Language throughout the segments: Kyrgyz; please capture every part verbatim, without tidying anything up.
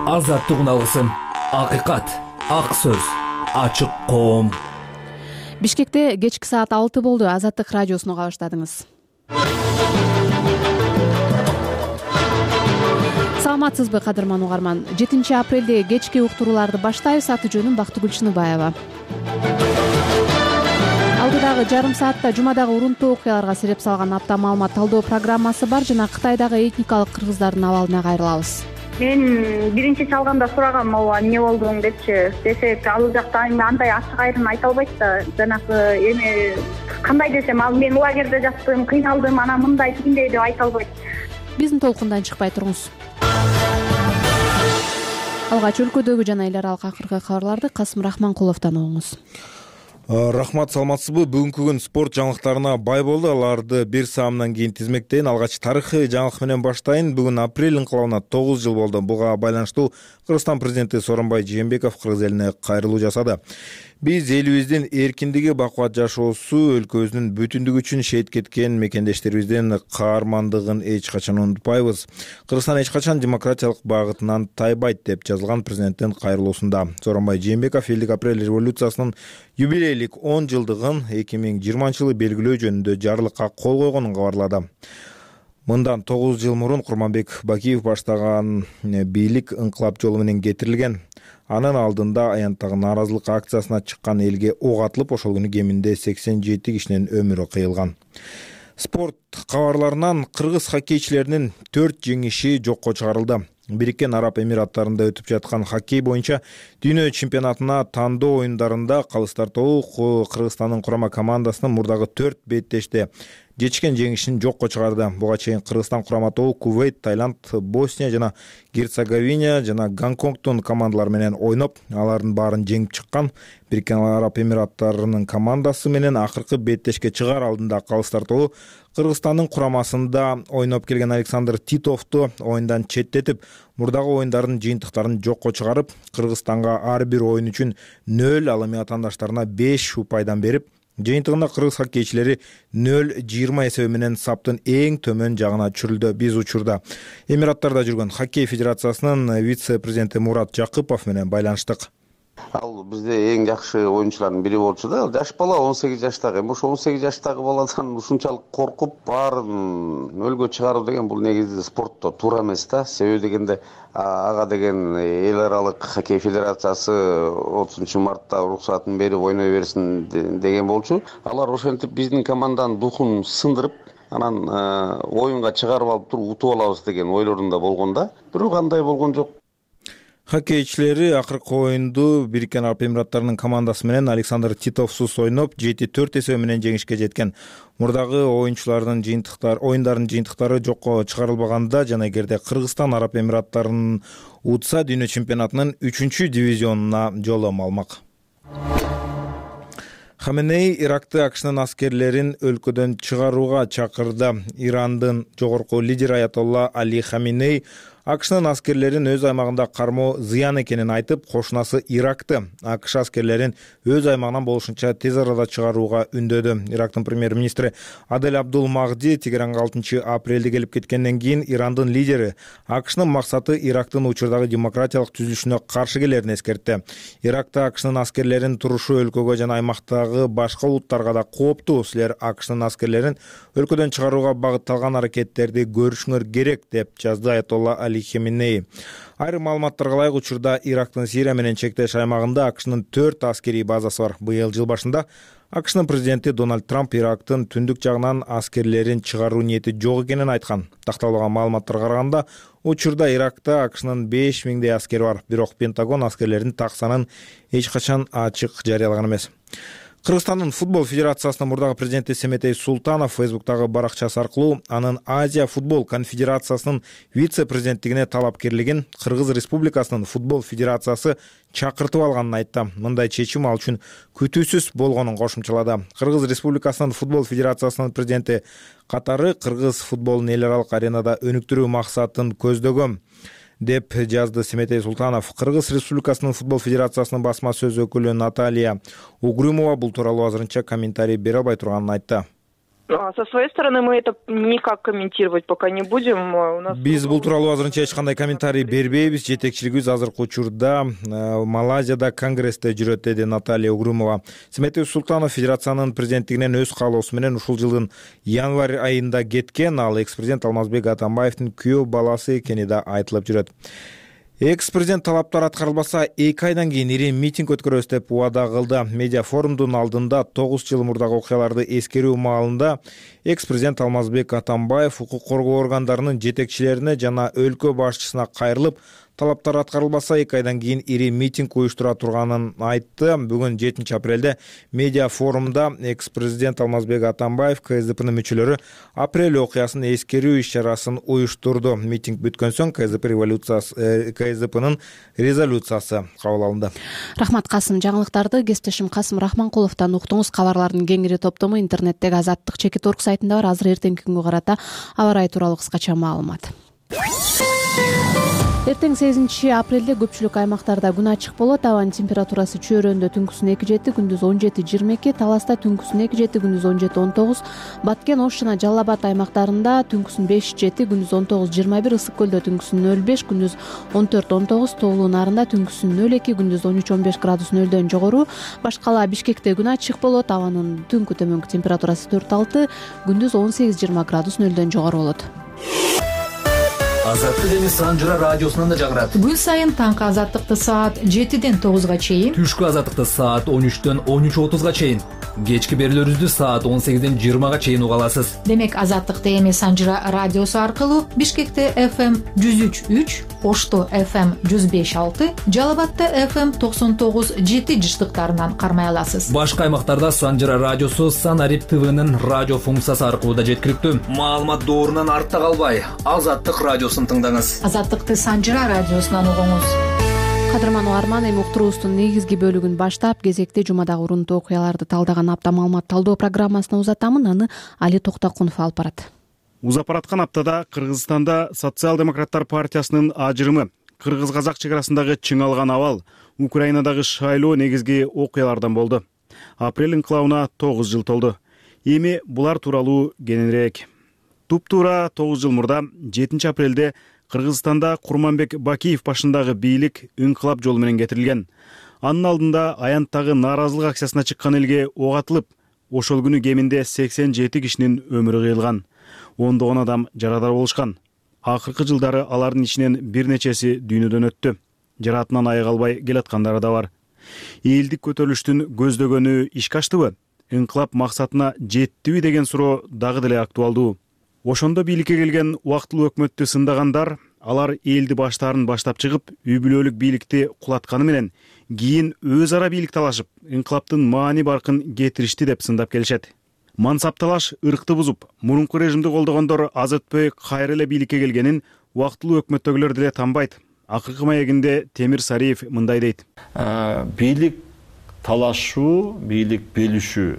азаттык алгысым, акыйкат, ак сөз, ачык коом. Бишкекте кечки саат алты болду. Азаттык радиосуну уга баштадыңыз. Саламатсызбы, кадырман угарман? жетинчи апрелде кечки уктурууларды баштайбыз. Аты жөнүм Бактыгүл Чыныбаева. Алдыдагы жарым саатта жумадагы урунтуу окуяларга сереп салган апта маалымат талдоо программасы бар жана Кытайдагы этникалык кыргыздардын абалына кайрылабыз. Мен биринчи чалганда сурагам, ооба эмне болдуң депчи. Десек, ал жакта андай ачык айрым айта албайт да. Жанагы эме кандай десем, ал мен лагерде жаттым, кыйналдым, анан мындай тигиндей деп айта албайт. Биздин толкундан чыкпай туруңуз. Алгач өлкөдөгү жана эл аралык акыркы кабарларды Касым Рахманкуловдон угуңуз. Рахмат, саламатсызбы? Бүгүнкү күн спорт жаңылыктарына бай болду. Аларды бир саамдан кийин тизмектейин. Алгач тарыхый жаңылык менен баштайын. Бүгүн апрель инкылабына тогуз жыл болду. Буга байланыштуу Кыргызстан президенти Сооронбай Жээнбеков кыргыз элине кайрылуу жасады. Биз элибиздин эркиндиги, бакубат жашоосу, өлкөбүздүн бүтүндүгү үчүн шейит кеткен мекендештерибиздин каармандыгын эч качан унутпайбыз. Кыргызстан эч качан демократиялык багытынан тайбайт деп жазылган президенттин кайрылуусунда. Сооронбай Жээнбеков элдик апрель революциясынын юбилейлик он жылдыгын эки миң жыйырманчы жылы белгилөө жөнүндө жарлыкка кол койгонун кабарлады. Мындан тогуз жыл мурун Курманбек Бакиев баштаган бийлик инкылап жолу менен кетирилген. Анын алдында аянттагы нааразылык акциясына чыккан элге ок атылып, ошол күнү кеминде сексен жети кишинин өмүрү кыйылган. Спорт кабарларынан кыргыз хоккейчилеринин төрт жеңиши жокко чыгарылды. Бириккен Араб Эмираттарында өтүп жаткан хоккей боюнча дүйнө чемпионатына тандоо оюндарында калыс тартуу Кыргызстандын курама командасынын мурдагы төрт беттеште жечкен жеңишин жокко чыгарды. Буга чейин Кыргызстан курама тобу Кувейт, Таиланд, Босния жана Герцеговина жана Гонконгдун командалары менен ойноп, алардын баарын жеңип чыккан. Бириккен Араб Эмираттарынын командасы менен акыркы беттешке чыгаар алдында калыс тартуу Кыргызстандын курамасында ойноп келген Александр Титовду оюндан четтетип, мурдагы оюндардын жыйынтыктарын жокко чыгарып, Кыргызстанга ар бир оюн үчүн нөл, ал эми атаандаштарына беш упайдан берип, жыйынтыгында кыргыз хоккейчилери нөл жыйырма эсеби менен саптын эң төмөн жагына чүрүлдү. Биз учурда Эмираттарда жүргөн хоккей федерациясынын вице-президенти Мурат Жакыпов менен байланыштык. Ал бизде эң жакшы оюнчулардын бири болчу да. Жаш бала он сегиз жаштагы. Эми ошо он сегиз жаштагы баладан ушунчалык коркуп баарын нөлгө чыгаруу деген бул негизи спортто туура эмес да. Себеби дегенде ага деген эл аралык хоккей федерациясы отузунчу мартта уруксатын берип ойной берсин деген болчу. Алар ошентип биздин команданын духун сындырып, анан оюнга чыгарып алып туруп утуп алабыз деген ойлорунда болгон да. Бирок андай болгон жок. Хоккейчилери акыркы оюнду Бириккен Араб Эмираттарынын командасы менен Александр Титовсуз ойноп, жети төрт эсеби менен жеңишке жеткен. Мурдагы оюнчулардын жыйынтыктары, оюндардын жыйынтыктары жокко чыгарылбаганда жана эгерде Кыргызстан Араб Эмираттарын утса, дүйнө чемпионатынын үчүнчү дивизионуна жолом алмак. Хаменей Иракты АКШнын аскерлерин өлкөдөн чыгарууга чакырды. Ирандын жогорку лидери Аятолла Али Хаменей АКШнын аскерлерин өз аймагында кармоо зыян экенин айтып, кошунасы Иракты АКШ аскерлерин өз аймагынан болушунча тез арада чыгарууга үндөдү. Ирактын премьер-министри Адель Абдул Магди Тегеранга алтынчы апрелде келип кеткенден кийин Ирандын лидери АКШнын максаты Ирактын учурдагы демократиялык түзүлүшүнө каршы келерин эскертти. Иракта АКШнын аскерлерин турушу өлкөгө жана аймактагы башка улуттарга да кооптуу. Силер АКШнын аскерлерин өлкөдөн чыгарууга багытталган аракеттерди көрүшүңөр керек деп жазды Аятолла Али Хаменей. Айрым маалыматтарга ылайык, учурда Ирактын Сирия менен чектеш аймагында АКШнын төрт аскерий базасы бар. Быйыл жыл башында АКШнын президенти Дональд Трамп Ирактын түндүк жагынан аскерлерин чыгаруу ниети жок экенин айткан. Такталган маалыматтарга караганда, учурда Иракта АКШнын беш миңдей аскери бар. Бирок Пентагон аскерлердин так санын эч качан ачык жарыялаган эмес. Кыргызстандын футбол федерациясынын мурдагы президенти Семетей Султанов Фейсбуктагы баракчасы аркылуу анын Азия футбол конфедерациясынын вице-президенттигине талапкерлигин Кыргыз Республикасынын футбол федерациясы чакыртып алганын айтты. Мындай чечим ал үчүн күтүүсүз болгонун кошумчалады. Кыргыз Республикасынын футбол федерациясынын президенти катары кыргыз футболун эл аралык аренада өнүктүрүү максатын көздөгөн деп жазды Семетей Султанов. Кыргыз Республикасынын футбол федерациясынын басма сөз өкүлү Наталья Угрюмова бул тууралуу азырынча комментарий бере албай турганын айтты. Со своей стороны мы это никак комментировать пока не будем. У нас биз бул тууралуу азырынча эч кандай комментарий бербейбиз. Жетекчилигибиз азыркы учурда Малайзияда конгрессте жүрөт, деди Наталья Угрюмова. Сметов Султанов федерациянын президенттигинен өз каалоосу менен ушул жылдын январь айында кеткен. Ал экс-президент Алмазбек Атамбаевдин күйөө баласы экени да айтылып жүрөт. Экс-президент талаптар аткарылбаса эки айдан кийин ири митинг өткөрөбүз деп убада кылды. Медиа форумдун алдында тогуз жыл мурдагы окуяларды эскерүү маалында экс-президент Алмазбек Атамбаев укук коргоо органдарынын жетекчилерине жана өлкө башчысына кайрылып, талаптар аткарылбаса эки айдан кийин ири митинг уюштура турганын айтты. Бүгүн жетинчи апрелде медиа форумда экс-президент Алмазбек Атамбаев КСДПнын мүчөлөрү апрель окуясын эскерүү иш-чарасын уюштурду. Митинг бүткөн соң КСДП революциясы КСДПнын резолюциясы кабыл алынды. Рахмат Касым. Жаңылыктарды кесиптешим Касым Рахманкуловдон уктуңуз. Кабарлардын кеңири топтому интернеттеги Азаттык чекит орг сайтында бар. Азыр эртеңки күнгө карата аба ырайы тууралуу кыскача маалымат. Эртең сегизинчи апрелде көпчүлүк аймактарда күн ачык болот. Абанын температурасы Чөйрөндө түнкүсүн эки жети, күндүз он жети жыйырма эки, Таласта түнкүсүн эки жети, күндүз он жети он тогуз, Баткен, Ош жана Жалал Абад аймактарында түнкүсүн беш жети, күндүз он тогуз жыйырма бир, Ысык көлдө түнкүсүн нөл беш, күндүз он төрт он тогуз, Тоолуу Нарында түнкүсүн нөл эки, күндүз он үч он беш градус нөлдөн жогору. Башкала Бишкекте күн ачык болот. Абанын түнкү төмөнкү температурасы төрт алты, күндүз он сегиз жыйырма градус нөлдөн жогору болот. Азаттык эми Санжыра радиосунан да жагырат. Күн сайын таңкы азаттыкты саат жетиден тогузга чейин, Түшкү азаттыкты саат он үчтөн он үч отузга чейин, кечки берүүлөрүбүздү саат он сегизден жыйырмага чейин уга аласыз. Демек азаттыкты эми Санжыра радиосу аркылуу Бишкекте эф эм жүз үч үч, Ошто эф эм жүз беш алты, Жалал Абадта эф эм токсон тогуз жети жыштыктарынан кармай аласыз. Башка аймактарда Санжыра радиосу Санарип ТВнын радио функциясы аркылуу да жеткиликтүү. Маалымат доорунан артта калбай, Азаттык радиосун тыңдаңыз. Азаттыкты Санжыра радиосунан угуңуз. Кадырман угарман, эми уктуруубуздун негизги бөлүгүн баштап, кезекте жумадагы урунтуу окуяларды талдаган апта маалымат талдоо программасына узатамын. Аны Али Токтокунов алып барат. Узап бараткан аптада Кыргызстанда Социал-демократтар партиясынын ажырымы, кыргыз-казак чек арасындагы чыңалган абал, Украинадагы шайлоо негизги окуялардан болду. Апрель инкылабына тогуз жыл толду. Эми булар тууралуу кененирээк. Туп-туура тогуз жыл мурда жетинчи апрелде Кыргызстанда Курманбек Бакиев башындагы бийлик инкылап жолу менен кетирилген. Анын алдында аянттагы нааразылык акциясына чыккан элге ок атылып, ошол күнү кеминде сексен жети кишинин өмүрү кыйылган. ондогон адам жарадар болушкан. Акыркы жылдары алардын ичинен бир нечеси дүйнөдөн өттү. Жаратынан аяк албай келаткандары да бар. Элдик көтөрүлүштүн көздөгөнү ишке аштыбы? Инкылап максатына жеттиби деген суроо дагы деле актуалдуу. Ошондо бийликке келген убактылуу өкмөттү сындагандар, алар элди баштарын баштап чыгып, үй бүлөлүк бийликти кулатканы менен кийин өз ара бийлик талашып, инкылаптын маани баркын кетиришти деп сындап келишет. Мансап талаш ыркты бузуп, мурунку режимди колдогондор аз өтпөй кайра эле бийликке келгенин убактылуу өкмөттөгүлөр деле танбайт. Акыркы маегинде Темир Сариев мындай дейт. Бийлик талашуу, бийлик белишүү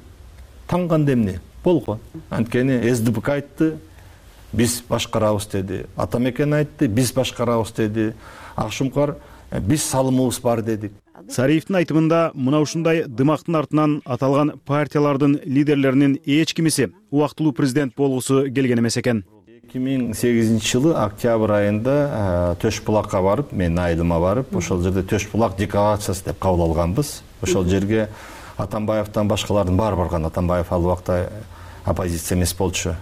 танганда эмне болгон. Анткени эс дэ пэ ка айтты, биз башкарабыз деди. Атамекен айтты, биз башкарабыз деди. Акшумкар биз салымыбыз бар дедик. Сариевдин айтымында мына ушундай дымактын артынан аталган партиялардын лидерлеринин эч кимиси убактылуу президент болгусу келген эмес экен. эки миң сегизинчи жылы октябрь айында Төш булакка барып, мен айылыма барып, ошол жерде Төш булак декларациясы деп кабыл алганбыз. Ошол жерге Атамбаевден башкалардын баары барган. Атамбаев ал убакта оппозиция эмес болчу.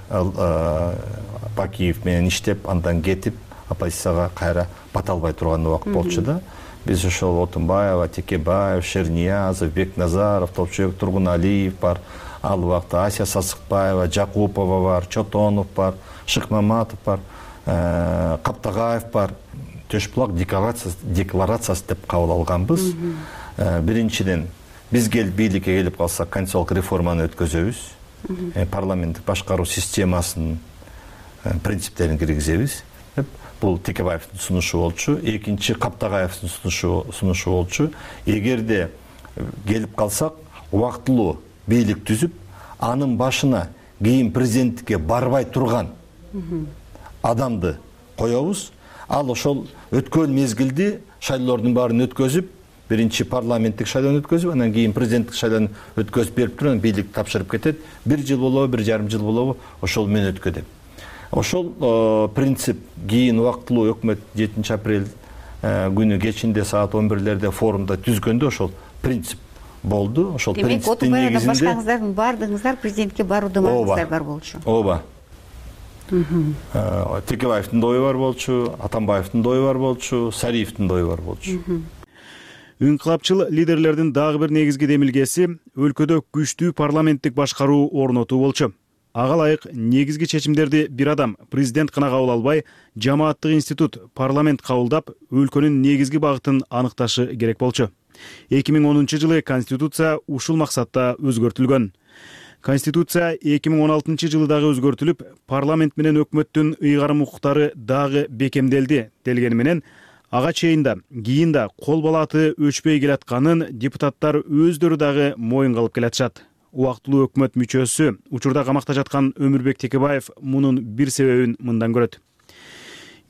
Бакиев менен иштеп, андан кетип, оппозицияга кайра бата албай турган убакыт болчу да. Биз ошол Отунбаева, Текебаев, Шерниязов, Бекназаров, Топчубек Тургуналиев бар, ал убакта Ася Сасыкбаева, Жакупова бар, Чотонов бар, Шыкмаматов бар, Каптагаев бар. Төш булак декларациясы деп кабыл алганбыз. Биринчиден, биз келип бийликке келип калсак, конституциялык реформаны өткөзөбүз. Парламенттик башкаруу системасынын принциптерин киргизебиз. Бул Текебаевдин сунушу болчу. Экинчи Каптагаевдин сунушу сунушу болчу. Эгерде келип калсак, убактылуу бийлик түзүп, анын башына кийин президенттикке барбай турган адамды коебуз. Ал ошол өткөн мезгилди шайлоолордун баарын өткөзүп, биринчи парламенттик шайлоону өткөзүп, анан кийин президенттик шайлоону өткөзүп берип туруп, анан бийлик тапшырып кетет. Бир жыл болобу, бир жарым жыл болобу, ошол мен өткөдөм. Ошол принцип кийин убактылуу өкмөт жетинчи апрель күнү кечинде саат он бирлерде форумда түзгөндө ошол принцип болду. Ошол принциптин негизинде демек башкаңыздардын баардыгыңыздар президентке барууга маңыздар бар болчу. Ооба. Текебаевдин да ою бар болчу, Атамбаевдин да ою бар болчу, Сариевдин да ою бар болчу. Инкылапчыл лидерлердин дагы бир негизги демилгеси өлкөдө күчтүү парламенттик башкаруу орнотуу болчу. Ага ылайык негизги чечимдерди бир адам, президент гана кабыл албай, жамааттык институт, парламент кабылдап, өлкөнүн негизги багытын аныкташы керек болчу. эки миң онунчу жылы Конституция ушул максатта өзгөртүлгөн. Конституция эки миң он алтынчы жылы дагы өзгөртүлүп, парламент менен өкмөттүн ыйгарым укуктары дагы бекемделди делгени менен, ага чейин да, кийин да кол балаты өчпөй келатканын депутаттар өздөрү дагы моюнга алып келатышат. Убактылуу өкмөт мүчөсү, учурда камакта жаткан Өмүрбек Текебаев мунун бир себебин мындан көрөт.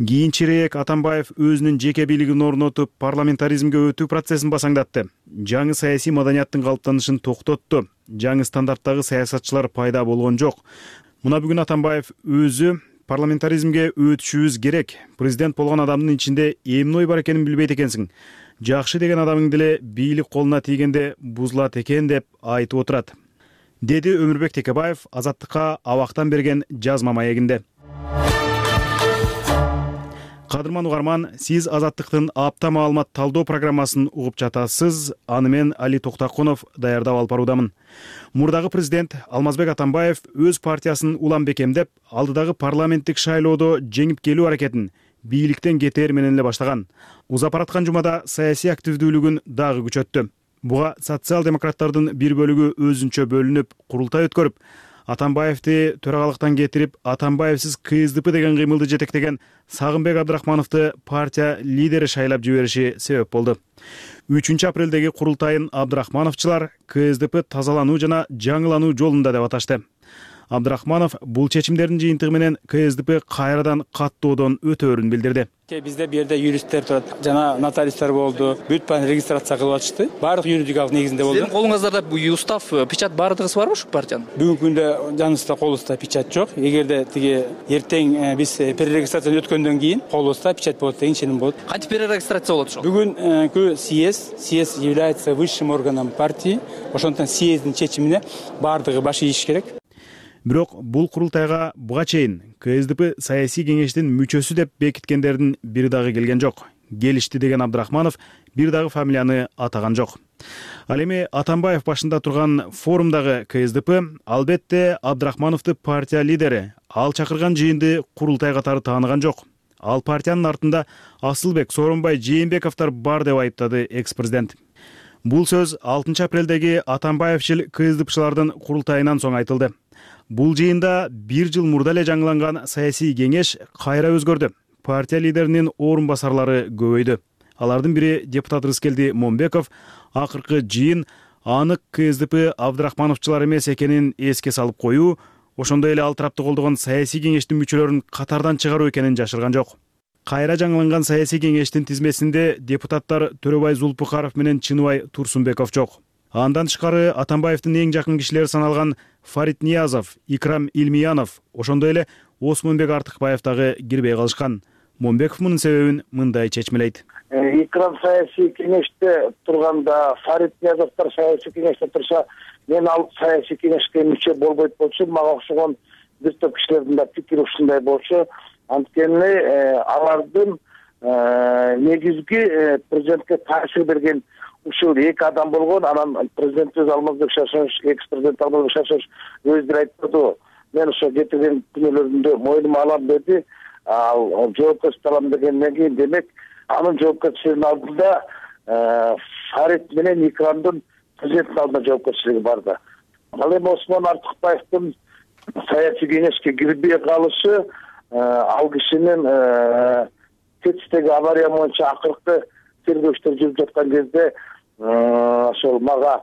Кийинчерээк Атамбаев өзүнүн жеке бийлигин орнотуп, парламентаризмге өтүү процессин басаңдатты. Жаңы саясий маданияттын калыптанышын токтотту. Жаңы стандарттагы саясатчылар пайда болгон жок. Мына бүгүн Атамбаев өзү парламентаризмге өтүшүбүз керек. Президент болгон адамдын ичинде эмне ой бар экенин билбейт экенсиң. Жакшы деген адамың деле бийлик колуна тийгенде бузулат экен деп айтып отурат, деди Өмүрбек Текебаев Азаттыкка абактан берген жазма маегинде. Кадырман угарман, сиз Азаттыктын апта маалымат талдоо программасын угуп жатасыз. Аны мен Али Токтакунов даярдап алып баруудамын. Мурдагы президент Алмазбек Атамбаев өз партиясын улам бекемдеп, алдыдагы парламенттик шайлоодо жеңип келүү аракетин бийликтен кетээр менен эле баштаган. Узап бараткан жумада саясий активдүүлүгүн дагы күчөттү. Буга социал-демократтардын бир бөлүгү өзүнчө бөлүнүп, курултай өткөрүп, Атамбаевди төрагалыктан кетирип, Атамбаевсиз КСДП деген кыймылды жетектеген Сагынбек Абдрахмановду партия лидери шайлап жибериши себеп болду. үчүнчү апрелдеги курултайын Абдрахмановчулар КСДП тазалануу жана жаңылануу жолунда деп аташты. Абдрахманов бул чечимдердин жыйынтыгы менен КСДП кайрадан каттоодон өтөөрүн билдирди. Бизде бу жерде юристтер турат, жана нотариустар болду, бүт баарын регистрация кылып атышты. Баардык юридикалык негизинде болду. Сиздин колуңуздарда бу устав, печать баардыгысы барбы ушул партиянын? Бүгүнкү күндө жаныбызда колубузда печать жок. Эгерде тиги эртең биз перерегистрациядан өткөндөн кийин колубузда печать болот деген ишеним болот. Кантип перерегистрация болот ошол? Бүгүнкү съезд, съезд является высшим органом партии. Ошондон съезддин чечимине баардыгы баш ийиш керек. Бирок бул курултайга буга чейин КСДП саясий кеңештин мүчөсү деп бекиткендердин бири дагы келген жок. Келишти деген Абдрахманов бир дагы фамилияны атаган жок. Ал эми Атамбаев башында турган форумдагы КСДП албетте Абдрахмановду партия лидери, ал чакырган жыйынды курултай катары тааныган жок. Ал партиянын артында Асылбек, Сооронбай, Жээнбековдор бар деп айыптады экс-президент. Бул сөз алтынчы апрелдеги Атамбаевчил КСДПчылардын курултайынан соң айтылды. Бул жыйында бир жыл мурда эле жаңыланган саясий кеңеш кайра өзгөрдү. Партия лидеринин орун басарлары көбөйдү. Алардын бири депутат Рыскелди Момбеков акыркы жыйын анык КСДП Абдрахмановчулар эмес экенин эске салып коюу, ошондой эле ал тарапты колдогон саясий кеңештин мүчөлөрүн катардан чыгаруу экенин жашырган жок. Кайра жаңыланган саясий кеңештин тизмесинде депутаттар Төрөбай Зулпукаров менен Чыныбай Турсунбеков жок. Андан тышкары Атамбаевдин эң жакын кишилери саналган Фарид Ниязов, Икрам Илмиянов, ошондой эле Осмонбек Артыкбаев дагы кирбей калышкан. Момбеков мунун себебин мындай чечмелейт. Икрам саясий кеңеште турганда, Фарид Ниязовдор саясий кеңеште турса, мен ал саясий кеңешке мүчө болбойт болчу, мага окшогон бир топ кишилердин да пикири ушундай болчу. Анткени алардын негизги президентке таасир берген ушул эки адам болгон. Анан президентибиз Алмазбек Шашович, экс-президент Алмазбек Шашович өзү айтты, мен ошо кетирген күнөөлөрүмдү мойнума алам деди. Ал жоопкерчиликти алам дегенден кийин, демек анын жоопкерчилигинин алдында Фарид менен Икрамдын президенттин алдында жоопкерчилиги бар да. Ал эми Осмон Артыкбаевдин саясий кеңешке кирбей калышы, ал кишинин Тетистеги авария боюнча акыркы тергөөчтөр жүрүп жаткан кезде ошол мага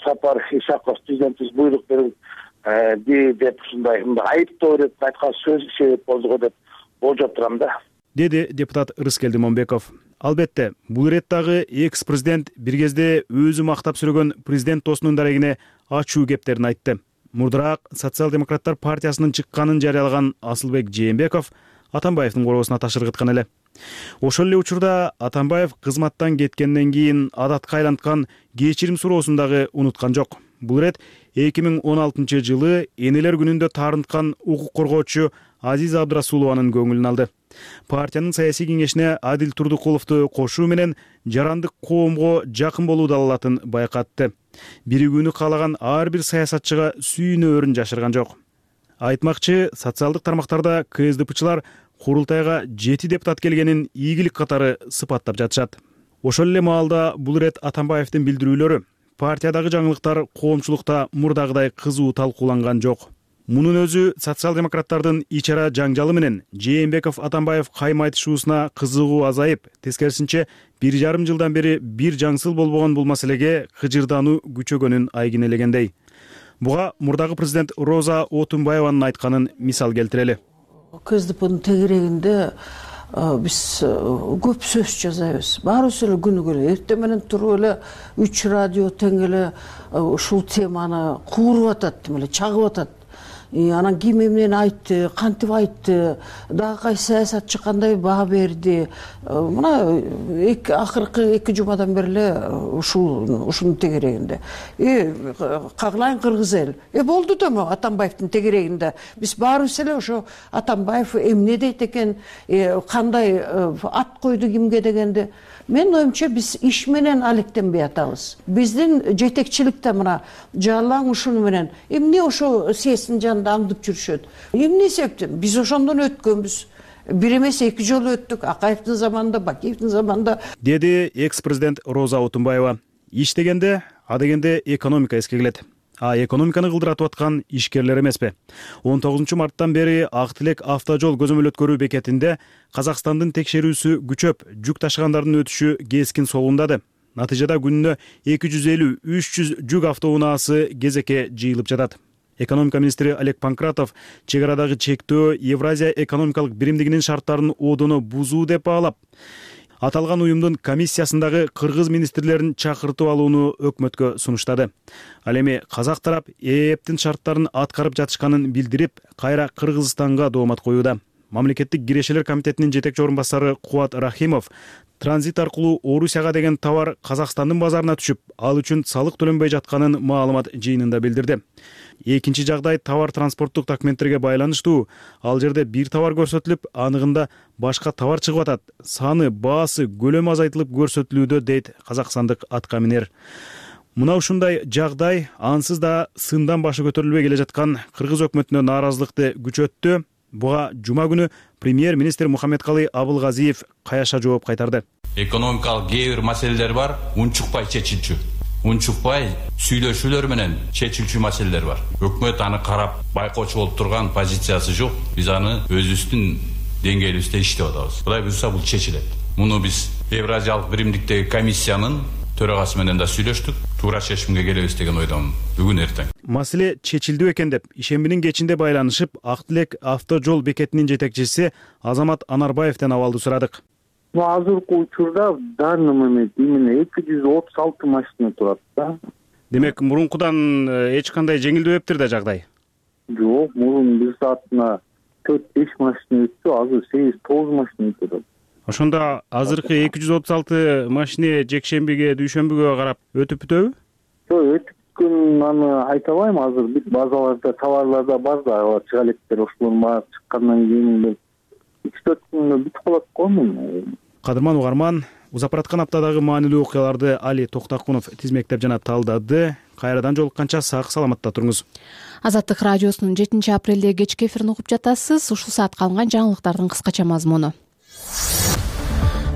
Сапар Исаков президентибиз буйрук берди деп ушундай айыптоо ретинде айткан сөз себеп болду го деп болжоп турам да. деди депутат Рыскелди Момбеков. Албетте, бул ирет дагы экс президент бир кезде өзү мактап сүрөгөн президент досунун дарегине ачуу кептерин айтты. Мурдураак социал-демократтар партиясынын чыкканын жарыялаган Асылбек Жээнбеков Атамбаевдин короосуна ташыргыткан эле. Ошол эле учурда Атамбаев кызматтан кеткенден кийин адатка айланткан кечирим суроосун дагы унуткан жок. Бул ирет эки миң он алтынчы жылы энелер күнүндө таарынткан укук коргоочу Азиза Абдрасулованын көңүлүн алды. Партиянын саясий кеңешине Адил Турдукуловду кошуу менен жарандык коомго жакын болуу далалатын байкатты. Биригүүнү каалаган ар бир саясатчыга сүйүнөөрүн жашырган жок. Айтмакчы, социалдык тармактарда КСДПчылар курултайга жети депутат келгенин ийгилик катары сыпаттап жатышат. Ошол эле маалда бул ирет Атамбаевдин билдирүүлөрү партиядагы жаңылыктар коомчулукта мурдагыдай кызуу талкууланган жок. Мунун өзү социал-демократтардын ичара жаңжалы менен Жээнбеков Атамбаев кайым айтышуусуна кызыгуу азайып, тескерисинче бир жарым жылдан бери бир жаңсыл болбогон бул маселеге кыжырдаануу күчөгөнүн айгинелегендей. Буга мурдагы президент Роза Отунбаеванын айтканын мисал келтирели. КСДПнын тегерегинде биз көп сөз жасайбыз. Баарыбыз эле күнүгө эле эртең менен туруп эле үч радио тең эле ушул теманы кууруп атат, тим эле чагып атат. Анан ким эмнени айтты, кантип айтты, дагы кайсы саясатчы кандай баа берди. Мына эки акыркы эки жумадан бери эле ушул ушунун тегерегинде. Э кагылайын кыргыз эл. Э болду да Атамбаевдин тегерегинде. Биз баарыбыз эле ошо Атамбаев эмне дейт экен, кандай ат койду кимге дегенде. Мен оюмча биз иш менен алектенбей атабыз. Биздин жетекчиликте мына Жалаң ушуну менен эмне ошо съезддин жанында аңдып жүрүшөт. Эмне себептен? Биз ошондон өткөнбүз. Бир эмес эки жолу өттүк. Акаевдин заманында, Бакиевдин заманында. Деди экс-президент Роза Отунбаева. Иш дегенде, а дегенде экономика эске келет. А экономиканы кылдыратып аткан ишкерлер эмеспи? он тогузунчу марттан бери Ак Тилек автожол көзөмөл өткөрүү бекетинде Казакстандын текшерүүсү күчөп, жүк ташыгандардын өтүшү кескин солундады. Натыйжада күнүнө эки жүз элүү — үч жүз жүк автоунаасы кезекке жыйылып жатат. Экономика министри Олег Панкратов чек арадагы чектөө Евразия экономикалык биримдигинин шарттарын одоно бузуу деп баалап, аталган уюмдун комиссиясындагы кыргыз министрлерин чакыртып алууну өкмөткө сунуштады. Ал эми казак тарап ЭЭПтин шарттарын аткарып жатышканын билдирип, кайра Кыргызстанга доомат коюуда. Мамлекеттик кирешелер комитетинин жетекчи орун басары Кубат Рахимов транзит аркылуу Орусияга деген товар Казакстандын базарына түшүп, ал үчүн салык төлөнбөй жатканын маалымат жыйынында билдирди. Экинчи жагдай товар транспорттук документтерге байланыштуу. Ал жерде бир товар көрсөтүлүп, аныгында башка товар чыгып атат. Саны, баасы, көлөмү азайтылып көрсөтүлүүдө, дейт казакстандык атка минер. Мына ушундай жагдай ансыз да сындан башы көтөрүлбөй келе жаткан кыргыз өкмөтүнө нааразылыкты күчөттү. Буга жума күнү премьер-министр Мухаммедкалый Абылгазиев каяша жооп кайтарды. Экономикалык кээ бир маселелер бар, унчукпай чечилчү. Унчукпай сүйлөшүүлөр менен чечилчү маселелер бар. Өкмөт аны карап байкоочу болуп турган позициясы жок. Биз аны өзүбүздүн деңгээлибизде иштеп атабыз. Кудай буйрса бул чечилет. Муну биз Евразиялык биримдиктеги комиссиянын төрагасы менен да сүйлөштүк. Туура чечимге келебиз деген ойдомун бүгүн эртең. Маселе чечилди экен деп ишембинин кечинде байланышып, Ак Тилек автожол бекетинин жетекчиси Азамат Анарбаевден абалды сурадык. Азыркы учурда в данный момент именно эки жүз отуз алты машина турат да. Демек, мурункудан эч кандай жеңилдебептир да жагдай? Жок, мурун бир саатына төрт беш машина өттү, азыр сегиз тогуз машина өтөт. Ошондо азыркы эки жүз отуз алты машина жекшембиге, дүйшөмбүгө карап өтүп бүтөбү? Жок, өтүп бүткөнүн аны айта албайм. Азыр бүт базаларда, товарларда бар да, чыга электер ошолор баары чыккандан кийин үч төрт күндө бүтүп калат го. Кадырман угарман, узапараткан аптадагы маанилүү окуяларды Али Токтакунов тизмектеп жана талдады. Кайрадан жолукканча сак саламатта туруңуз. Азаттык радиосунун жетинчи апрелде кечки эфирин угуп жатасыз. Ушул саатка алынган жаңылыктардын кыскача мазмуну.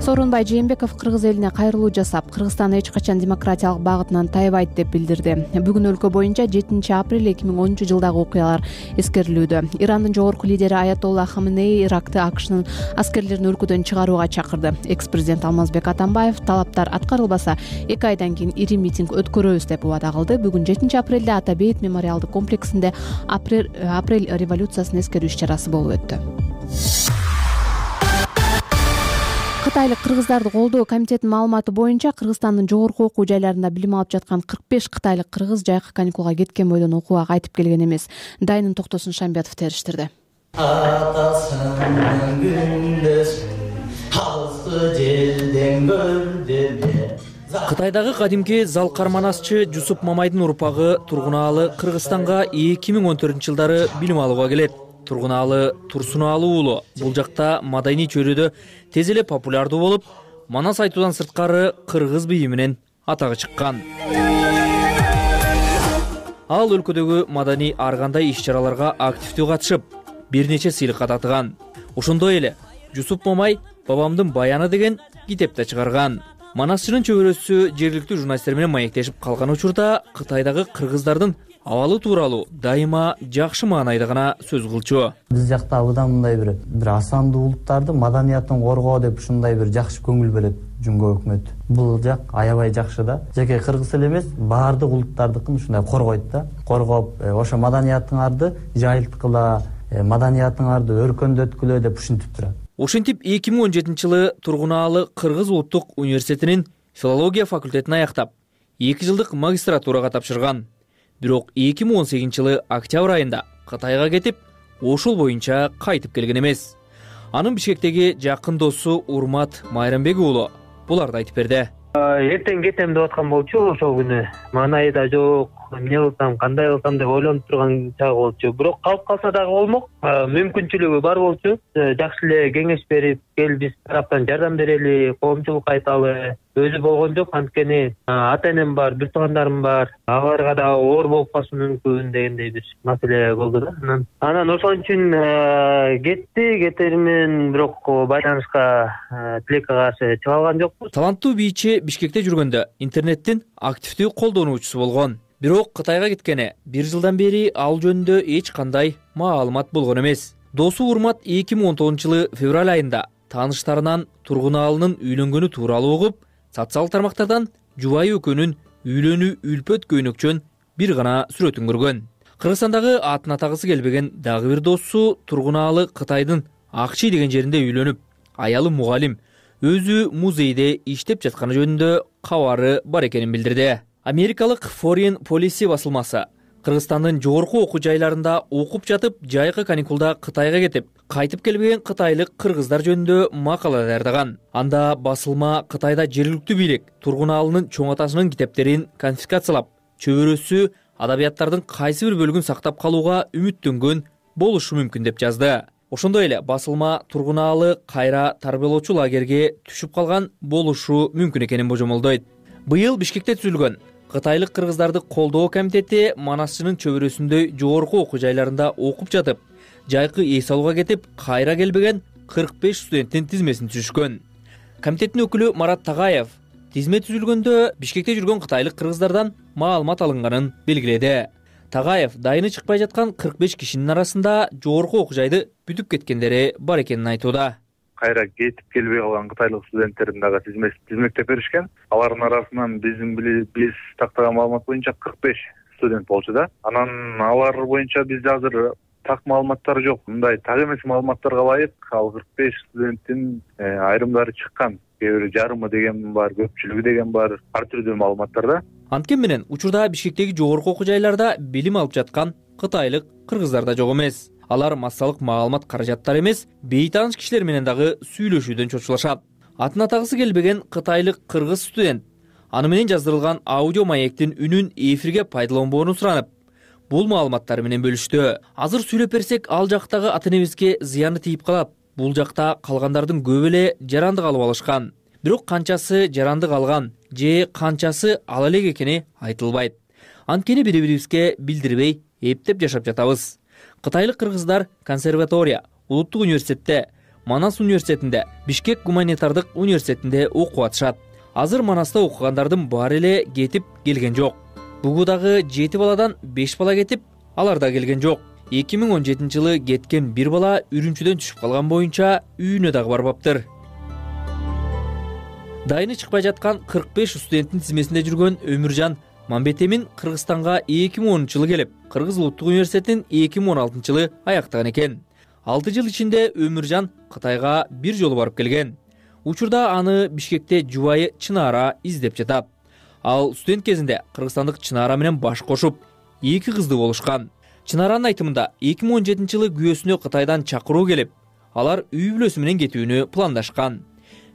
Сооронбай Жээнбеков кыргыз элине кайрылуу жасап, Кыргызстан эч качан демократиялык багытынан тайбайт деп билдирди. Бүгүн өлкө боюнча жетинчи апрель эки миң онунчу жылдагы окуялар эскерилүүдө. Ирандын жогорку лидери Аятолла Хаменеи Иракты АКШнын аскерлерин өлкөдөн чыгарууга чакырды. Экс-президент Алмазбек Атамбаев талаптар аткарылбаса, эки айдан кийин ири митинг өткөрөбүз деп убада кылды. Бүгүн жетинчи апрелде Ата Бейит мемориалдык комплексинде апрель революциясын эскерүү иш-чарасы болуп өттү. кытайлык кыргыздарды колдоо комитетинин маалыматы боюнча Кыргызстандын жогорку окуу жайларында билим алып жаткан кырк беш кытайлык кыргыз жайкы каникулга кеткен бойдон окууга кайтып келген эмес. Дайынын Токтосун Шамбиятов териштирди. Атасының күндесін алысы желден көрдеме. Кытайдагы кадимки залкарманасчы Жусуп Мамайдын урпагы Тургунаалы Кыргызстанга эки миң он төртүнчү жылдары билим алууга келет. Тургунаалы Турсунаалы уулу бул жакта маданий чөйрөдө тез эле популярдуу болуп, манас айтуудан сырткары кыргыз бийи менен атагы чыккан. Ал өлкөдөгү маданий ар кандай иш-чараларга активдүү катышып, бир нече сыйлыкка татыган. Ошондой эле Жусуп Мамай «Бабамдын баяны» деген китеп да чыгарган. Манасчынын чөбөрөсү жергиликтүү журналисттер менен маектешип калган учурда Кытайдагы кыргыздардын абалы тууралуу дайыма жакшы маанайда гана сөз кылчу. Биз жакта абыдан мындай бир бир асандуу улуттарды маданиятын коргоо деп ушундай бир жакшы көңүл берет Жумго өкмөтү. Бул жак аябай жакшы да. Жеке кыргыз эле эмес, баардык улуттардыкын ушундай коргойт да. Коргоп, ошо маданиятыңарды жайылткыла, маданиятыңарды өркөндөткүлө деп ушинтип турат. Ошентип эки миң он жетинчи жылы Тургунаалы Кыргыз улуттук университетинин филология факультетин аяктап, эки жылдык магистратурага тапшырган. Бирок эки миң он сегизинчи жылы октябрь айында Кытайга кетип, ошол боюнча кайтып келген эмес. Анын Бишкектеги жакын досу Урмат Майрамбек уулу буларды айтып берди. Эртең кетем деп аткан болчу ошол күнү. Маанайы да жок, эмне кылсам, кандай кылсам деп ойлонуп турган чагы болчу. Бирок калып калса дагы болмок, мүмкүнчүлүгү бар болчу. Жакшы эле кеңеш берип, кел биз тараптан жардам берели, коомчулук айталы. Өзү болгон жок, анткени ата-энем бар, бир туугандарым бар. Аларга да оор болуп калышы мүмкүн дегендей бир маселе болду да. Анан ошон үчүн кетти, кетермен, бирок байланышка тилекке каршы чыга алган жокпуз. Таланттуу бийчи Бишкекте жүргөндө интернеттин активдүү колдонуучусу болгон. Бирок Кытайга кеткени бир жылдан бери ал жөнүндө эч кандай маалымат болгон эмес. Досу Урмат эки миң он тогузунчу жылы февраль айында тааныштарынан Тургунаалынын үйлөнгөнү тууралуу угуп, социалдык тармактардан жубайы экөөнүн үйлөнүү үлпөт көйнөкчөн бир гана сүрөтүн көргөн. Кыргызстандагы атын атагысы келбеген дагы бир досу Тургунаалы Кытайдын Акчи деген жеринде үйлөнүп, аялы мугалим, өзү музейде иштеп жатканы жөнүндө кабары бар экенин билдирди. Америкалык Foreign Policy басылмасы Кыргызстандын жогорку окуу жайларында окуп жатып, жайкы каникулда Кытайга кетип, кайтып келбеген кытайлык кыргыздар жөнүндө макала даярдаган. Анда басылма Кытайда жергиликтүү бийлик Тургунаалынын чоң атасынын китептерин конфискациялап, чөбөрөсү адабияттардын кайсы бир бөлүгүн сактап калууга үмүттөнгөн болушу мүмкүн деп жазды. Ошондой эле басылма Тургунаалы кайра тарбиялоочу лагерге түшүп калган болушу мүмкүн экенин божомолдойт. Быйыл Бишкекте түзүлгөн Кытайлык кыргыздарды колдоо комитети манасчынын чөбөрөсүндөй жогорку окуу жайларында окуп жатып, жайкы эс алууга кетип, кайра келбеген кырк беш студенттин тизмесин түзүшкөн. Комитеттин өкүлү Марат Тагаев тизме түзүлгөндө Бишкекте жүргөн кытайлык кыргыздардан маалымат алынганын белгиледи. Тагаев дайыны чыкпай жаткан кырк беш кишинин арасында жогорку окуу жайды бүтүп кеткендери бар экенин айтууда. Кайра кетип келбей калган кытайлык студенттердин дагы тизмектеп беришкен. Алардын арасынан биздин биз тактаган маалымат боюнча кырк беш студент болчу да. Анан алар боюнча бизде азыр так маалыматтар жок. Мындай так эмес маалыматтарга ылайык ал кырк беш студенттин айрымдары чыккан. Кээ бири жарымы деген бар, көпчүлүгү деген бар, ар түрдүү маалыматтар да. Анткени менен учурда Бишкектеги жогорку окуу жайларда билим алып жаткан кытайлык кыргыздар да жок эмес. Алар массалык маалымат каражаттары эмес, бейтааныш кишилер менен дагы сүйлөшүүдөн чочулашат. Атын атагысы келбеген кытайлык кыргыз студент аны менен жаздырылган аудио маектин үнүн эфирге пайдаланбоону суранып, бул маалыматтар менен бөлүштү. Азыр сүйлөп берсек, ал жактагы ата-энебизге зыяны тийип калат. Бул жакта калгандардын көбү эле жарандык алып алышкан. Бирок канчасы жарандык алган же канчасы ала элек экени айтылбайт. Анткени бири-бирибизге билдирбей эптеп жашап жатабыз. Кытайлык кыргыздар консерватория, улуттук университетте, Манас университетинде, Бишкек гуманитардык университетинде окуп атышат. Азыр Манаста окугандардын баары эле кетип келген жок. Бугудагы жети баладан беш бала кетип, алар да келген жок. эки миң он жетинчи жылы кеткен бир бала Үрүнчүдөн түшүп калган боюнча үйүнө дагы барбаптыр. Дайыны чыкпай жаткан кырк беш студенттин тизмесинде жүргөн Өмүржан Мамбетемин Кыргызстанга эки миң онунчу жылы келип, Кыргыз улуттук университетин эки миң он алтынчы жылы аяктаган экен. алты жыл ичинде Өмүржан Кытайга бир жолу барып келген. Учурда аны Бишкекте жубайы Чынара издеп жатат. Ал студент кезинде кыргызстандык Чынара менен баш кошуп, эки кызды болушкан. Чынаранын айтымында эки миң он жетинчи жылы күйөөсүнө Кытайдан чакыруу келип, алар үй бүлөсү менен кетүүнү пландашкан.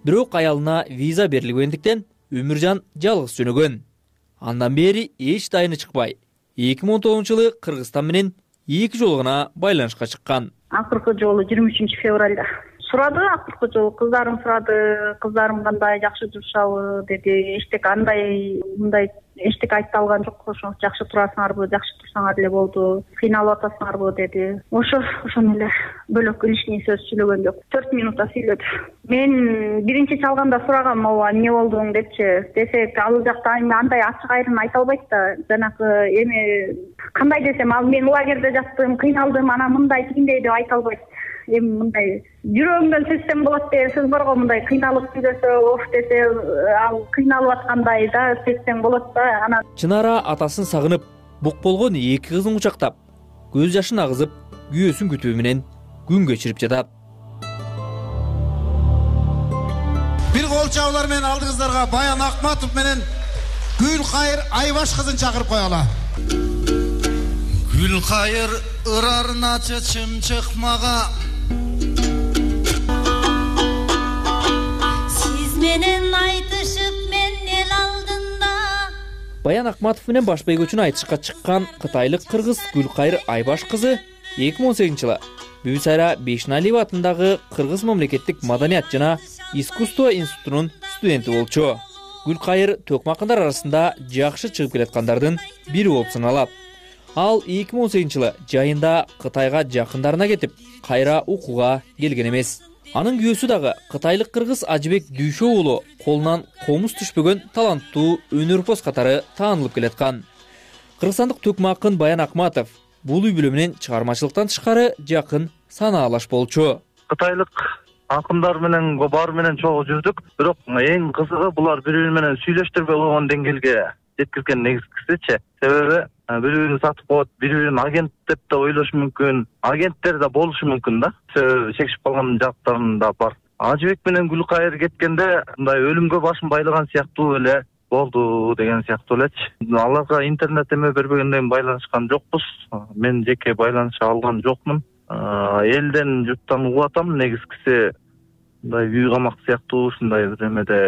Бирок аялына виза берилбегендиктен Өмүржан жалгыз жөнөгөн. Андан бери эч дайыны чыкпай, эки миң он тогузунчу жылы Кыргызстан менен эки жолу гана байланышка чыккан. Акыркы жолу жыйырма үчүнчү февралда сурады. Акыркы жолу кыздарым сурады, кыздарым кандай, жакшы турушабы деди. Эчтеке андай мындай эчтеке айтып алган жок. Ошо жакшы турасыңарбы, жакшы турсаңар эле болду, кыйналып атасыңарбы деди. Ошо ошону эле бөлөк лишний сөз сүйлөгөн жок. төрт минутта сүйлөдү. Мен биринчи чалганда сурагам, ооба эмне болдуң депчи. Десек ал жакта андай ачык айрым айта албайт да. Жанагы эми кандай десем, ал мен лагерде жаттым, кыйналдым, анан мындай тигиндей деп айта албайт. Эми мындай жүрөгүңдөн сезсем болот деген сөз барго, мындай кыйналып сүйлөсө, оф десе, ал кыйналып аткандай да сезсең болот да. Анан Чынара атасын сагынып, бук болгон эки кызын кучактап, көз жашын агызып, күйөөсүн күтүү менен күн кечирип жатат. Бир кол чабуулар менен алдыңыздарга Баян Акматов менен Гүлкайыр Айбаш кызын чакырып коелу. Гүлкайыр ырарыначы чымчыкмага сиз менен айтышып мен эл алдында. Баян Акматов менен баш бөйгөчүнү айтышка чыккан кытайлык кыргыз Гүлкайыр Айбаш кызы эки миң он сегизинчи жылы Бүбүсайра Бейшеналиева атындагы Кыргыз мамлекеттик маданият жана искусство институтунун студенти болчу. Гүлкайыр төкмө акындар арасында жакшы чыгып келаткандардын бири болуп саналат. Ал эки миң он сегизинчи жылы жайында Кытайга жакындарына кетип, кайра окууга келген эмес. Анын күйөөсү дагы кытайлык кыргыз Ажыбек Дүйшө уулу колунан комуз түшпөгөн таланттуу өнөрпоз катары таанылып келаткан. Кыргызстандык төкмө акын Баян Акматов бул үй бүлө менен чыгармачылыктан тышкары жакын санаалаш болчу. Кытайлык акындар менен баары менен чогуу жүрдүк, бирок эң кызыгы булар бири-бири менен сүйлөштүрбөй койгон деңгээлге жеткизген негизгисичи. Себеби бири-бирин сатып коет, бири-бирин агент деп да ойлошу мүмкүн, агенттер да болушу мүмкүн да. Чекишип калган жактарым да бар. Ажыбек менен Гүлкайыр кеткенде мындай өлүмгө башын байлаган сыяктуу эле болду деген сыяктуу элечи. Аларга интернет эме бербегенден байланышкан жокпуз. Мен жеке байланыша алган жокмун. Элден журттан угуп атам, негизгиси мындай үй камак сыяктуу ушундай бир эмеде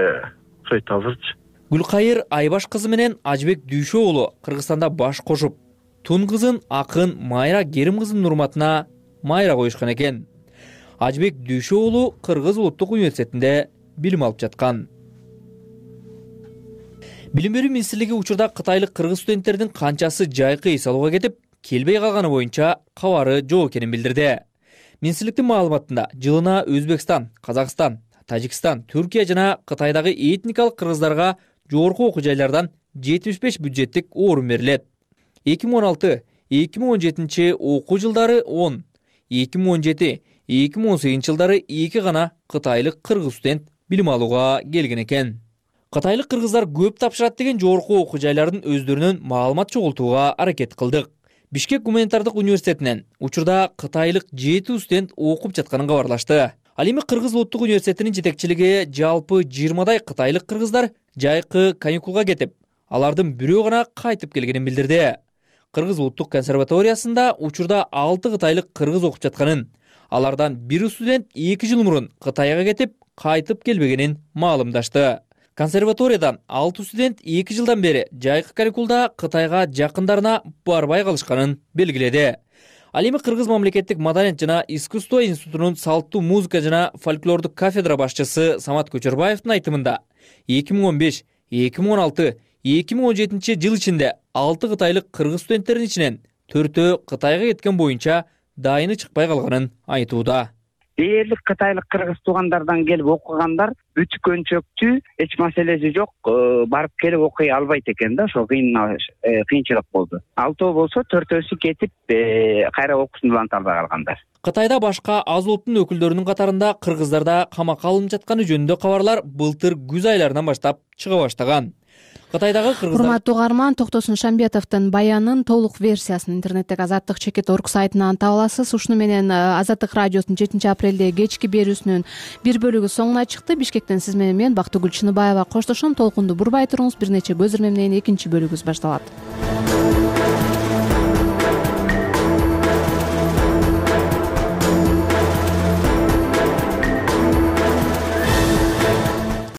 окшойт азырчы. Гүлкайыр Айбаш кызы менен Ажыбек Дүйшө уулу Кыргызстанда баш кошуп, тун кызын акын Майра Керим кызынын урматына Майра коюшкан экен. Ажыбек Дүйшө уулу Кыргыз улуттук университетинде билим алып жаткан. Билим берүү министрлиги учурда кытайлык кыргыз студенттердин канчасы жайкы эс алууга кетип, келбей калганы боюнча кабары жок экенин билдирди. Министрликтин маалыматында жылына Өзбекстан, Казакстан, Тажикстан, Түркия жана Кытайдагы этникалык кыргыздарга жогорку окуу жайлардан жетимиш беш бюджеттик орун берилет. эки миң он алты эки миң он жетинчи окуу жылдары он, эки миң он жети эки миң он сегизинчи жылдары эки гана кытайлык кыргыз студент билим алууга келген экен. Кытайлык кыргыздар көп тапшырат деген жогорку окуу жайлардын өздөрүнөн маалымат чогултууга аракет кылдык. Бишкек гуманитардык университетинен учурда кытайлык жети студент окуп жатканын кабарлашты. Ал эми Кыргыз улуттук университетинин жетекчилиги жалпы жыйырмадай кытайлык кыргыздар жайкы каникулга кетип, алардын бирөө гана кайтып келгенин билдирди. Кыргыз улуттук консерваториясында учурда алты кытайлык кыргыз окуп жатканын, алардан бир студент эки жыл мурун Кытайга кетип, кайтып келбегенин маалымдашты. Консерваториядан алты студент эки жылдан бери жайкы каникулда Кытайга жакындарына барбай калышканын белгиледи. Ал эми Кыргыз мамлекеттик маданият жана искусство институтунун салттуу музыка жана фольклордук кафедра башчысы Самат Көчөрбаевдин айтымында эки миң он беш эки миң он алты эки миң он жетинчи жыл ичинде алты кытайлык кыргыз студенттердин ичинен төртөө Кытайга кеткен боюнча дайыны чыкпай калганын айтууда. Дээрлик кытайлык кыргыз туугандардан келип окугандар бүткөнчөктүү, эч маселеси жок, барып келип окуй албайт экен да, ошо кыйынчылык болду. Алтоо болсо төртөөсү кетип, кайра окуусун уланталбай калгандар. Кытайда башка аз улуттун өкүлдөрүнүн катарында кыргыздарда камакка алынып жатканы жөнүндө кабарлар былтыр күз айларынан баштап чыга баштаган. Кытайдагы кыргыздар. Урматтуу угарман, Токтосун Шамбетовдун баянын толук версиясын интернеттеги азаттык чекит точка орг сайтынан таба аласыз. Ушуну менен Азаттык радиосунун жетинчи апрелдеги кечки берүүсүнүн бир бөлүгү соңуна чыкты. Бишкектен сиз менен мен Бактыгүл Чыныбаева коштошом. Толкунду бурбай туруңуз. Бир нече көз ирме менен экинчи бөлүгүбүз башталат.